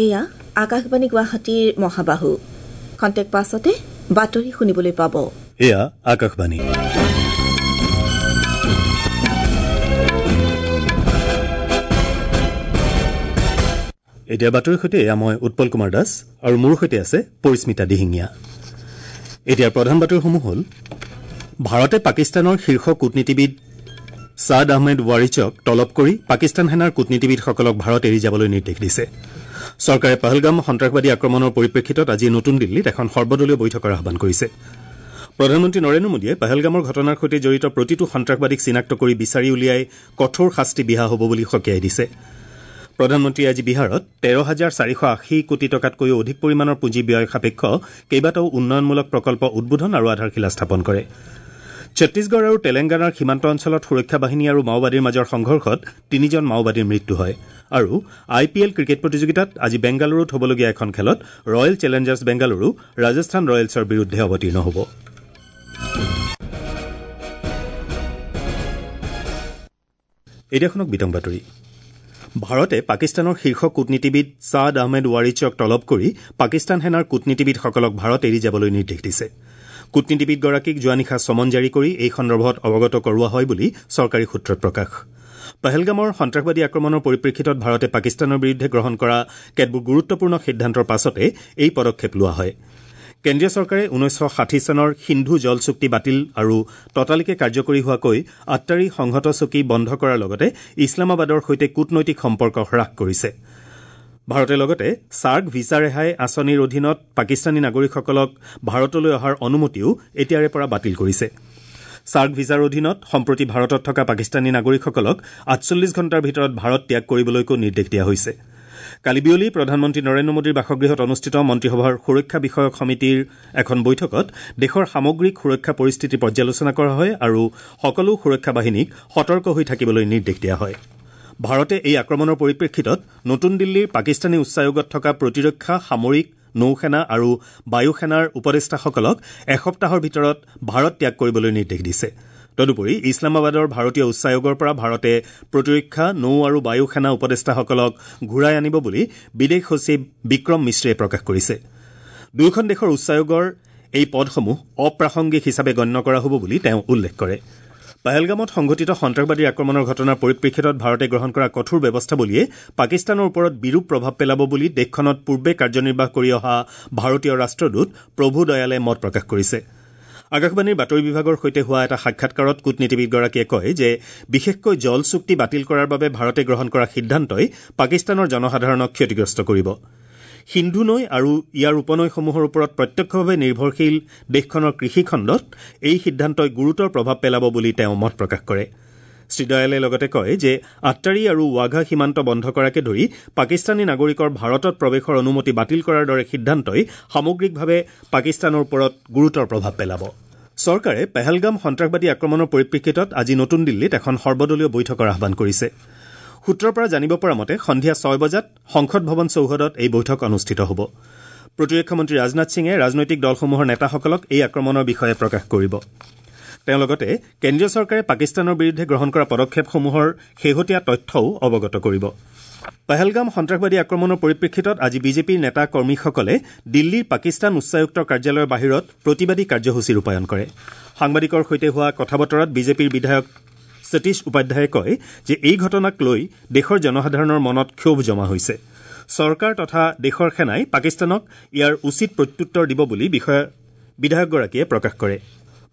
এয়া আকাশবাণী গুৱাহাটীৰ মহাবাহু। খন্তেক পাছতে বাতৰি শুনিবলৈ পাব। এয়া আকাশবাণী। এতিয়া বাতৰিৰ সৈতে এয়া মই উৎপল কুমাৰ দাস আৰু মোৰ সৈতে আছে পৰিস্মিতা দিহিঙীয়া। এতিয়া প্ৰধান বাতৰিসমূহ হ'ল: ভাৰতে পাকিস্তানৰ শীৰ্ষ কূটনীতিবিদ ছাদ আহমেদ ৱাৰিচক তলব কৰি পাকিস্তান সেনাৰ কূটনীতিবিদসকলক ভাৰত এৰি যাবলৈ নিৰ্দেশ দিছে। চৰকাৰে পহলগাম সন্ত্ৰাসবাদী আক্ৰমণৰ পৰিপ্ৰেক্ষিতত আজি নতুন দিল্লীত এখন সৰ্বদলীয় বৈঠকৰ আহ্বান কৰিছে। প্ৰধানমন্ত্ৰী নৰেন্দ্ৰ মোদীয়ে পহলগামৰ ঘটনাৰ সৈতে জড়িত প্ৰতিটো সন্ত্ৰাসবাদীক চিনাক্ত কৰি বিচাৰি উলিয়াই কঠোৰ শাস্তি বিহা হ'ব বুলি সকীয়াই দিছে। প্ৰধানমন্ত্ৰীয়ে আজি বিহাৰত ১৩,৪৮০ কোটি টকাতকৈও অধিক পৰিমাণৰ পুঁজি ব্যয় সাপেক্ষ কেইবাটাও উন্নয়নমূলক প্ৰকল্প উদ্বোধন আৰু আধাৰশিলা স্থাপন কৰে। ছত্তীশগড় আৰু তেলেংগানাৰ সীমান্ত অঞ্চলত সুৰক্ষা বাহিনী আৰু মাওবাদীৰ মাজৰ সংঘৰ্ষত তিনিজন মাওবাদীৰ মৃত্যু হয়। আৰু আই পি এল ক্ৰিকেট প্ৰতিযোগিতাত আজি বেংগালুৰুত হ'বলগীয়া এখন খেলত ৰয়েল চেলেঞ্জাৰ্ছ বেংগালুৰু ৰাজস্থান ৰয়েলছৰ বিৰুদ্ধে অৱতীৰ্ণ হ'ব। এতিয়া শুনক বিতং বাতৰি। ভাৰতে পাকিস্তানৰ শীৰ্ষ কূটনীতিবিদ ছাদ আহমেদ ৱাৰিচক তলব কৰি পাকিস্তান সেনাৰ কূটনীতিবিদসকলক ভাৰত এৰি যাবলৈ নিৰ্দেশ দিছে। কূটনীতিবিদগৰাকীক যোৱা নিশা চমন জাৰি কৰি এই সন্দৰ্ভত অৱগত কৰোৱা হয় বুলি চৰকাৰী সূত্ৰত প্ৰকাশ। পহলগামৰ সন্ত্ৰাসবাদী আক্ৰমণৰ পৰিপ্ৰেক্ষিতত ভাৰতে পাকিস্তানৰ বিৰুদ্ধে গ্ৰহণ কৰা কেতবোৰ গুৰুত্বপূৰ্ণ সিদ্ধান্তৰ পাছতে এই পদক্ষেপ লোৱা হয়। কেন্দ্ৰীয় চৰকাৰে ১৯৬০ চনৰ সিন্ধু জল চুক্তি বাতিল আৰু ততালিকে কাৰ্যকৰী হোৱাকৈ আট্টাৰী সংহত চকী বন্ধ কৰাৰ লগতে ইছলামাবাদৰ সৈতে কূটনৈতিক সম্পৰ্ক হ্ৰাস কৰিছে। ভাৰতে লগতে ছাৰ্ক ভিছা ৰেহাই আঁচনিৰ অধীনত পাকিস্তানী নাগৰিকসকলক ভাৰতলৈ অহাৰ অনুমতিও এতিয়াৰে পৰা বাতিল কৰিছে। ছাৰ্ক ভিছাৰ অধীনত সম্প্ৰতি ভাৰতত থকা পাকিস্তানী নাগৰিকসকলক ৪৮ ঘণ্টাৰ ভিতৰত ভাৰত ত্যাগ কৰিবলৈকো নিৰ্দেশ দিয়া হৈছে। কালি বিয়লি প্ৰধানমন্ত্ৰী নৰেন্দ্ৰ মোদীৰ বাসগৃহত অনুষ্ঠিত মন্ত্ৰীসভাৰ সুৰক্ষা বিষয়ক সমিতিৰ এখন বৈঠকত দেশৰ সামগ্ৰিক সুৰক্ষা পৰিস্থিতি পৰ্যালোচনা কৰা হয় আৰু সকলো সুৰক্ষা বাহিনীক সতৰ্ক হৈ থাকিবলৈ নিৰ্দেশ দিয়া হয়। ভাৰতে এই আক্ৰমণৰ পৰিপ্ৰেক্ষিতত নতুন দিল্লীৰ পাকিস্তানী উচ্চায়োগত থকা প্ৰতিৰক্ষা, সামৰিক, নৌসেনা আৰু বায়ুসেনাৰ উপদেষ্টাসকলক এসপ্তাহৰ ভিতৰত ভাৰত ত্যাগ কৰিবলৈ নিৰ্দেশ দিছে। তদুপৰি ইছলামাবাদৰ ভাৰতীয় উচ্চায়োগৰ পৰা ভাৰতে প্ৰতিৰক্ষা, নৌ আৰু বায়ুসেনা উপদেষ্টাসকলক ঘূৰাই আনিব বুলি বিদেশ সচিব বিক্ৰম মিশ্ৰীয়ে প্ৰকাশ কৰিছে। দুয়োখন দেশৰ উচ্চায়োগৰ এই পদসমূহ অপ্ৰাসংগিক হিচাপে গণ্য কৰা হ'ব বুলি তেওঁ উল্লেখ কৰে। পহলগামত সংঘটিত সন্ত্ৰাসবাদীৰ আক্ৰমণৰ ঘটনাৰ পৰিপ্ৰেক্ষিতত ভাৰতে গ্ৰহণ কৰা কঠোৰ ব্যৱস্থাৱলীয়ে পাকিস্তানৰ ওপৰত বিৰূপ প্ৰভাৱ পেলাব বুলি দেশখনত পূৰ্বে কাৰ্যনিৰ্বাহ কৰি অহা ভাৰতীয় ৰাষ্ট্ৰদূত প্ৰভু দয়ালে মত প্ৰকাশ কৰিছে। আকাশবাণীৰ বাতৰি বিভাগৰ সৈতে হোৱা এটা সাক্ষাৎকাৰত কূটনীতিবিদগৰাকীয়ে কয় যে বিশেষকৈ জল চুক্তি বাতিল কৰাৰ বাবে ভাৰতে গ্ৰহণ কৰা সিদ্ধান্তই পাকিস্তানৰ জনসাধাৰণক ক্ষতিগ্ৰস্ত কৰিব। সিন্ধু নৈ আৰু ইয়াৰ উপনৈসমূহৰ ওপৰত প্ৰত্যক্ষভাৱে নিৰ্ভৰশীল দেশখনৰ কৃষিখণ্ডত এই সিদ্ধান্তই গুৰুতৰ প্ৰভাৱ পেলাব বুলি তেওঁ মত প্ৰকাশ কৰে। শ্ৰীদয়ালে লগতে কয় যে আট্টাৰী আৰু ৱাঘা সীমান্ত বন্ধ কৰাকে ধৰি পাকিস্তানী নাগৰিকৰ ভাৰতত প্ৰৱেশৰ অনুমতি বাতিল কৰাৰ দৰে সিদ্ধান্তই সামগ্ৰিকভাৱে পাকিস্তানৰ ওপৰত গুৰুতৰ প্ৰভাৱ পেলাব। চৰকাৰে পহলগাম সন্ত্ৰাসবাদী আক্ৰমণৰ পৰিপ্ৰেক্ষিতত আজি নতুন দিল্লীত এখন সৰ্বদলীয় বৈঠকৰ আহ্বান কৰিছে। সূত্ৰৰ পৰা জানিব পৰা মতে সন্ধিয়া ৬ বজাত সংসদ ভৱন চৌহদত এই বৈঠক অনুষ্ঠিত হ'ব। প্ৰতিৰক্ষা মন্ত্ৰী ৰাজনাথ সিঙে ৰাজনৈতিক দলসমূহৰ নেতাসকলক এই আক্ৰমণৰ বিষয়ে প্ৰকাশ কৰিব। তেওঁ লগতে কেন্দ্ৰীয় চৰকাৰে পাকিস্তানৰ বিৰুদ্ধে গ্ৰহণ কৰা পদক্ষেপসমূহৰ শেহতীয়া তথ্যও অৱগত কৰিব। পহলগাম সন্ত্ৰাসবাদী আক্ৰমণৰ পৰিপ্ৰেক্ষিতত আজি বিজেপিৰ নেতা কৰ্মীসকলে দিল্লীৰ পাকিস্তান উচ্চায়ুক্তৰ কাৰ্যালয়ৰ বাহিৰত প্ৰতিবাদী কাৰ্যসূচী ৰূপায়ণ কৰে। সাংবাদিকৰ সৈতে হোৱা কথা বতৰাত বিজেপিৰ বিধায়ক সতীশ উপাধ্যায়ে কয় যে এই ঘটনাক লৈ দেশৰ জনসাধাৰণৰ মনত ক্ষোভ জমা হৈছে। চৰকাৰ তথা দেশৰ সেনাই পাকিস্তানক ইয়াৰ উচিত প্ৰত্যুত্তৰ দিব বুলি বিধায়কগৰাকীয়ে প্ৰকাশ কৰে।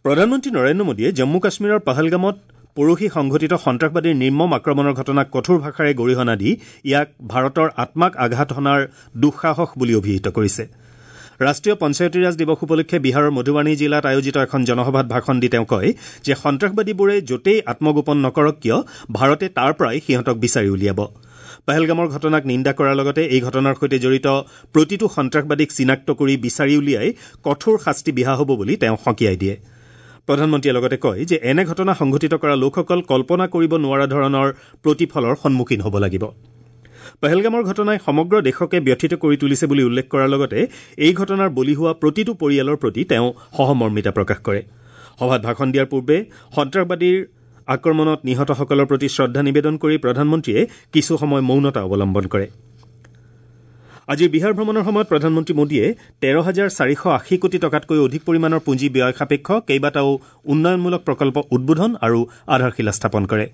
প্ৰধানমন্ত্ৰী নৰেন্দ্ৰ মোদীয়ে জম্মু কাশ্মীৰৰ পহলগামত পৰহি সংঘটিত সন্ত্ৰাসবাদীৰ নিৰ্মম আক্ৰমণৰ ঘটনাক কঠোৰ ভাষাৰে গৰিহণা দি ইয়াক ভাৰতৰ আত্মাক আঘাত হনাৰ দুঃসাহস বুলি অভিহিত কৰিছে। ৰাষ্ট্ৰীয় পঞ্চায়তীৰাজ দিৱস উপলক্ষে বিহাৰৰ মধুবাণী জিলাত আয়োজিত এখন জনসভাত ভাষণ দি তেওঁ কয় যে সন্ত্ৰাসবাদীবোৰে য'তেই আত্মগোপন নকৰক কিয় ভাৰতে তাৰ পৰাই সিহঁতক বিচাৰি উলিয়াব। পহলগামৰ ঘটনাক নিন্দা কৰাৰ লগতে এই ঘটনাৰ সৈতে জড়িত প্ৰতিটো সন্ত্ৰাসবাদীক চিনাক্ত কৰি বিচাৰি উলিয়াই কঠোৰ শাস্তি বিহা হ'ব বুলি তেওঁ সকীয়াই দিয়ে। প্ৰধানমন্ত্ৰীয়ে লগতে কয় যে এনে ঘটনা সংঘটিত কৰা লোকসকল কল্পনা কৰিব নোৱাৰা ধৰণৰ প্ৰতিফলৰ সন্মুখীন হ'ব লাগিব। পহলগামৰ ঘটনাই সমগ্ৰ দেশকে ব্যথিত কৰি তুলিছে বুলি উল্লেখ কৰাৰ লগতে এই ঘটনাৰ বলি হোৱা প্ৰতিটো পৰিয়ালৰ প্ৰতি তেওঁ সহমৰ্মিতা প্ৰকাশ কৰে। সভাত ভাষণ দিয়াৰ পূৰ্বে সন্ত্ৰাসবাদীৰ আক্ৰমণত নিহতসকলৰ প্ৰতি শ্ৰদ্ধা নিবেদন কৰি প্ৰধানমন্ত্ৰীয়ে কিছু সময় মৌনতা অৱলম্বন কৰে। আজিৰ বিহাৰ ভ্ৰমণৰ সময়ত প্ৰধানমন্ত্ৰী মোদীয়ে ১৩,৪৮০ কোটি টকাতকৈ অধিক পৰিমাণৰ পুঁজি ব্যয় সাপেক্ষ কেইবাটাও উন্নয়নমূলক প্ৰকল্প উদ্বোধন আৰু আধাৰশিলা স্থাপন কৰে।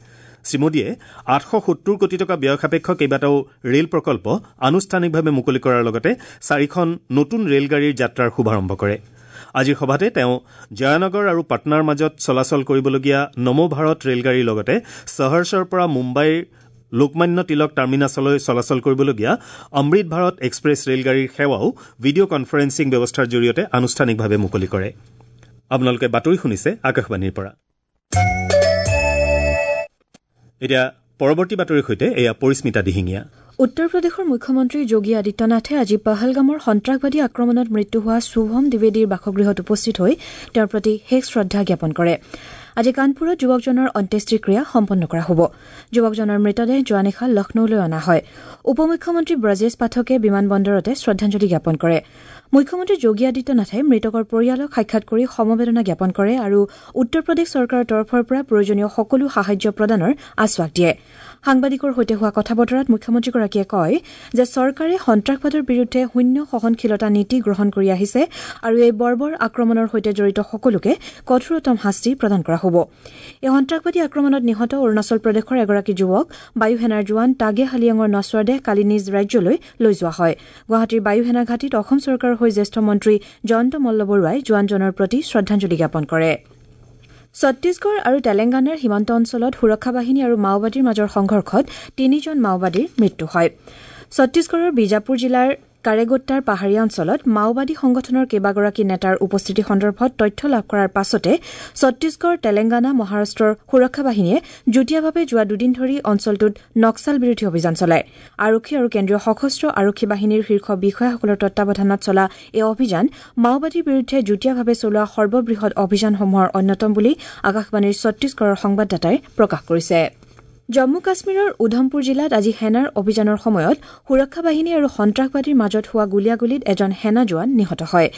শ্ৰীমোদীয়ে ৮৭০ কোটি টকা ব্যয় সাপেক্ষ কেইবাটাও ৰেল প্ৰকল্প আনুষ্ঠানিকভাৱে মুকলি কৰাৰ লগতে চাৰিখন নতুন ৰেলগাড়ীৰ যাত্ৰাৰ শুভাৰম্ভ কৰে। আজিৰ সভাতে তেওঁ জয়ানগৰ আৰু পাটনাৰ মাজত চলাচল কৰিবলগীয়া নমো ভাৰত ৰেলগাড়ীৰ লগতে চহৰছৰ পৰা মুম্বাইৰ লোকমান্য তিলক টাৰ্মিনাছলৈ চলাচল কৰিবলগীয়া অমৃত ভাৰত এক্সপ্ৰেছ ৰেলগাড়ীৰ সেৱাও ভিডিঅ' কনফাৰেন্সিং ব্যৱস্থাৰ জৰিয়তে আনুষ্ঠানিকভাৱে মুকলি কৰে। আপোনালোকে বাতৰি শুনিছে আকাশবাণীৰ পৰা। এতিয়া পৰৱৰ্তী বাতৰিৰ সৈতে এয়া পৰিস্মিতা দিহিঙীয়া। উত্তৰ প্ৰদেশৰ মুখ্যমন্ত্ৰী যোগী আদিত্যনাথে আজি পহলগামৰ সন্ত্ৰাসবাদী আক্ৰমণত মৃত্যু হোৱা শুভম দ্বিবেদীৰ বাসগৃহত উপস্থিত হৈ তেওঁৰ প্ৰতি শেষ শ্ৰদ্ধা জ্ঞাপন কৰে। আজি কানপুৰত যুৱকজনৰ অন্ত্যেষ্টিক্ৰিয়া সম্পন্ন কৰা হ'ব। যুৱকজনৰ মৃতদেহ যোৱা নিশা লক্ষ্ণৌলৈ অনা হয়। উপ মুখ্যমন্ত্ৰী ব্ৰজেশ পাঠকে বিমানবন্দৰতে শ্ৰদ্ধাঞ্জলি জ্ঞাপন কৰে। মুখ্যমন্ত্ৰী যোগী আদিত্যনাথে মৃতকৰ পৰিয়ালক সাক্ষাৎ কৰি সমবেদনা জ্ঞাপন কৰে আৰু উত্তৰ প্ৰদেশ চৰকাৰৰ তৰফৰ পৰা প্ৰয়োজনীয় সকলো সাহায্য প্ৰদানৰ আশ্বাস দিয়ে। সাংবাদিকৰ সৈতে হোৱা কথা বতৰাত মুখ্যমন্ত্ৰীগৰাকীয়ে কয় যে চৰকাৰে সন্ত্ৰাসবাদৰ বিৰুদ্ধে শূন্য সহনশীলতা নীতি গ্ৰহণ কৰি আহিছে আৰু এই বৰ্বৰ আক্ৰমণৰ সৈতে জড়িত সকলোকে কঠোৰতম শাস্তি প্ৰদান কৰা হ'ব। এই সন্ত্ৰাসবাদী আক্ৰমণত নিহত অৰুণাচল প্ৰদেশৰ এগৰাকী যুৱক বায়ুসেনাৰ জোৱান টাগে হালিয়াঙৰ নশ্বৰ দেহ কালি নিজ ৰাজ্যলৈ লৈ যোৱা হয়। গুৱাহাটীৰ বায়ুসেনা ঘাটিত অসম চৰকাৰৰ হৈ জ্যেষ্ঠ মন্ত্ৰী জয়ন্ত মল্ল বৰুৱাই জোৱানজনৰ প্ৰতি শ্ৰদ্ধাঞ্জলি জ্ঞাপন কৰে। ছত্তীশগড় আৰু তেলেংগানাৰ সীমান্ত অঞ্চলত সুৰক্ষা বাহিনী আৰু মাওবাদীৰ মাজৰ সংঘৰ্ষত তিনিজন মাওবাদীৰ মৃত্যু হয়। ছত্তীশগড়ৰ বিজাপুৰ জিলাৰ কাৰেগোট্টাৰ পাহাৰীয়া অঞ্চলত মাওবাদী সংগঠনৰ কেইবাগৰাকী নেতাৰ উপস্থিতি সন্দৰ্ভত তথ্য লাভ কৰাৰ পাছতে ছত্তীশগড়, তেলেংগানা, মহাৰাষ্ট্ৰৰ সুৰক্ষা বাহিনীয়ে যুটীয়াভাৱে যোৱা দুদিন ধৰি অঞ্চলটোত নক্সাল বিৰোধী অভিযান চলায়। আৰক্ষী আৰু কেন্দ্ৰীয় সশস্ত্ৰ আৰক্ষী বাহিনীৰ শীৰ্ষ বিষয়াসকলৰ তত্বাৱধানত চলা এই অভিযান মাওবাদীৰ বিৰুদ্ধে যুটীয়াভাৱে চলোৱা সৰ্ববৃহৎ অভিযানসমূহৰ অন্যতম বুলি আকাশবাণীৰ ছত্তীশগড়ৰ সংবাদদাতাই প্ৰকাশ কৰিছে। জম্মু কাশ্মীৰৰ উধমপুৰ জিলাত আজি সেনাৰ অভিযানৰ সময়ত সুৰক্ষা বাহিনী আৰু সন্ত্ৰাসবাদীৰ মাজত হোৱা গুলীয়াগুলীত এজন সেনা জোৱান নিহত হয়।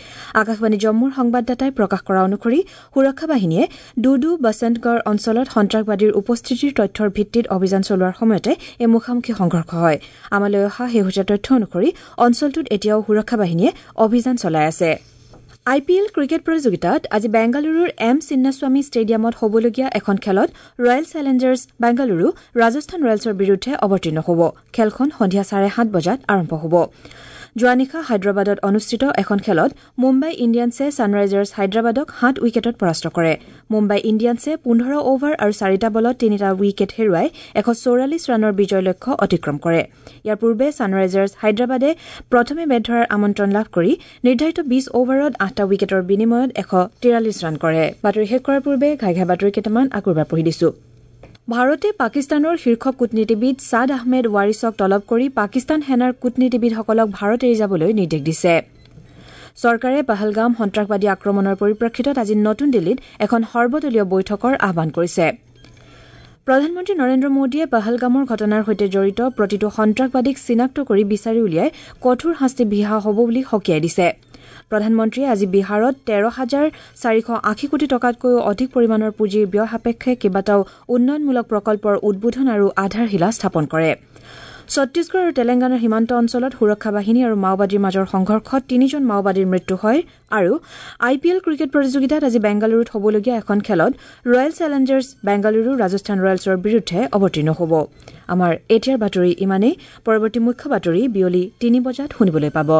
আকাশবাণী জম্মুৰ সংবাদদাতাই প্ৰকাশ কৰা অনুসৰি সুৰক্ষা বাহিনীয়ে ডুডু বসন্তগড় অঞ্চলত সন্ত্ৰাসবাদীৰ উপস্থিতিৰ তথ্যৰ ভিত্তিত অভিযান চলোৱাৰ সময়তে এই মুখামুখি সংঘৰ্ষ হয়। আমালৈ অহা শেহতীয়া তথ্য অনুসৰি অঞ্চলটোত এতিয়াও সুৰক্ষা বাহিনীয়ে অভিযান চলাই আছে। আই পি এল ক্ৰিকেট প্ৰতিযোগিতাত আজি বেংগালুৰুৰ এম চিন্নাস্বামী ষ্টেডিয়ামত হ'বলগীয়া এখন খেলত ৰয়েল চেলেঞ্জাৰ্ছ বেংগালুৰু ৰাজস্থান ৰয়েলছৰ বিৰুদ্ধে অৱতীৰ্ণ হ'ব। খেলখন সন্ধিয়া ৭:৩০ বজাত আৰম্ভ হ'ব। যোৱা নিশা হায়দৰাবাদত অনুষ্ঠিত এখন খেলত মুম্বাই ইণ্ডিয়ানছে ছানৰাইজাৰ্ছ হায়দৰাবাদক ৭ উইকেটত পৰাস্ত কৰে। মুম্বাই ইণ্ডিয়ানছে ১৫ অভাৰ আৰু ৪টা বলত ৩টা উইকেট হেৰুৱাই ১৪৪ ৰানৰ বিজয় লক্ষ্য অতিক্ৰম কৰে। ইয়াৰ পূৰ্বে ছানৰাইজাৰ্ছ হায়দৰাবাদে প্ৰথমে বেট ধৰাৰ আমন্ত্ৰণ লাভ কৰি নিৰ্ধাৰিত ২০ অভাৰত ৮টা উইকেটৰ বিনিময়ত ১৪৩ ৰান কৰে। বাতৰি শেষ কৰাৰ পূৰ্বে ঘাই ঘাই বাতৰি কেইটামান আকৌ এবাৰ পঢ়ি দিছো। ভাৰতে পাকিস্তানৰ শীৰ্ষ কূটনীতিবিদ ছাদ আহমেদ ৱাৰিছক তলব কৰি পাকিস্তান সেনাৰ কূটনীতিবিদসকলক ভাৰত এৰি যাবলৈ নিৰ্দেশ দিছে। চৰকাৰে পহলগাম সন্ত্ৰাসবাদী আক্ৰমণৰ পৰিপ্ৰেক্ষিতত আজি নতুন দিল্লীত এখন সৰ্বদলীয় বৈঠকৰ আহ্বান কৰিছে। প্ৰধানমন্ত্ৰী নৰেন্দ্ৰ মোদীয়ে পহলগামৰ ঘটনাৰ সৈতে জড়িত প্ৰতিটো সন্ত্ৰাসবাদীক চিনাক্ত কৰি বিচাৰি উলিয়াই কঠোৰ শাস্তি বিহা হ'ব বুলি সকীয়াই দিছে। প্ৰধানমন্ত্ৰীয়ে আজি বিহাৰত ১৩,৪৮০ কোটি টকাতকৈও অধিক পৰিমাণৰ পুঁজিৰ ব্যয় সাপেক্ষে কেইবাটাও উন্নয়নমূলক প্ৰকল্পৰ উদ্বোধন আৰু আধাৰশিলা স্থাপন কৰে। ছত্তীশগড় আৰু তেলেংগানাৰ সীমান্ত অঞ্চলত সুৰক্ষা বাহিনী আৰু মাওবাদীৰ মাজৰ সংঘৰ্ষত তিনিজন মাওবাদীৰ মৃত্যু হয় আৰু আই পি এল ক্ৰিকেট প্ৰতিযোগিতাত আজি বেংগালুৰুত হ'বলগীয়া এখন খেলত ৰয়েল চেলেঞ্জাৰ্ছ বেংগালুৰু ৰাজস্থান ৰয়েলছৰ বিৰুদ্ধে অৱতীৰ্ণ হ'ব। আমাৰ এতিয়াৰ বাতৰি ইমানেই। পৰৱৰ্তী মুখ্য বাতৰি বিয়লি ৩ বজাত শুনিবলৈ পাব।